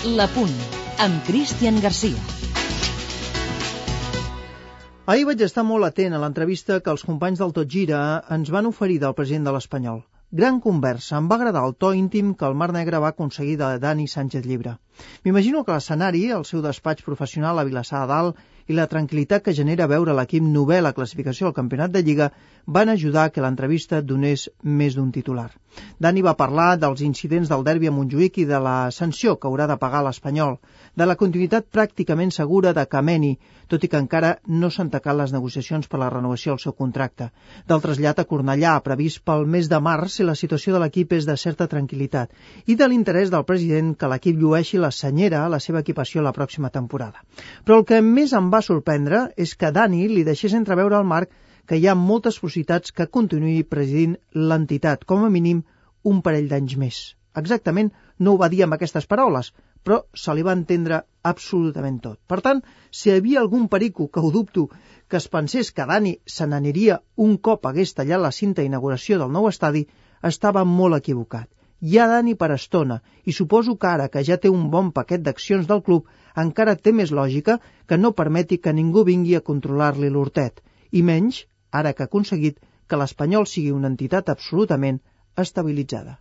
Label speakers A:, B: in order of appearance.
A: La Punt, amb Cristian Garcia.
B: Ahir vaig estar molt atent a l'entrevista que els companys del Tot Gira ens van oferir del president de l'Espanyol. Gran conversa, em va agradar el to íntim que el Mar Negre va aconseguir de Dani Sánchez Llibre. M'imagino que l'escenari, el seu despatx professional a Vilassar de Dalt i la tranquil·litat que genera veure l'equip novè a la classificació del Campionat de Lliga van ajudar que l'entrevista donés més d'un titular. Dani va parlar dels incidents del derbi a Montjuïc i de la sanció que haurà de pagar l'Espanyol, de la continuïtat pràcticament segura de Kameni, tot i que encara no s'han tacat les negociacions per la renovació del seu contracte, del trasllat a Cornellà, previst pel mes de març si la situació de l'equip és de certa tranquil·litat, i de l'interès del president que l'equip llueixi la senyera a la seva equipació la pròxima temporada. Però el que més em va sorprendre és que Dani li deixés entreveure al Marc que hi ha moltes possibilitats que continuï presidint l'entitat, com a mínim un parell d'anys més. Exactament no ho va dir amb aquestes paraules, però se li va entendre absolutament tot. Per tant, si hi havia algun perico, que ho dubto, que es pensés que Dani se n'aniria un cop hagués tallat la cinta d'inauguració del nou estadi, estava molt equivocat. Hi ha Dani per estona, i suposo que ara que ja té un bon paquet d'accions del club, encara té més lògica que no permeti que ningú vingui a controlar-li l'hortet, i menys ara que ha aconseguit que l'Espanyol sigui una entitat absolutament estabilitzada.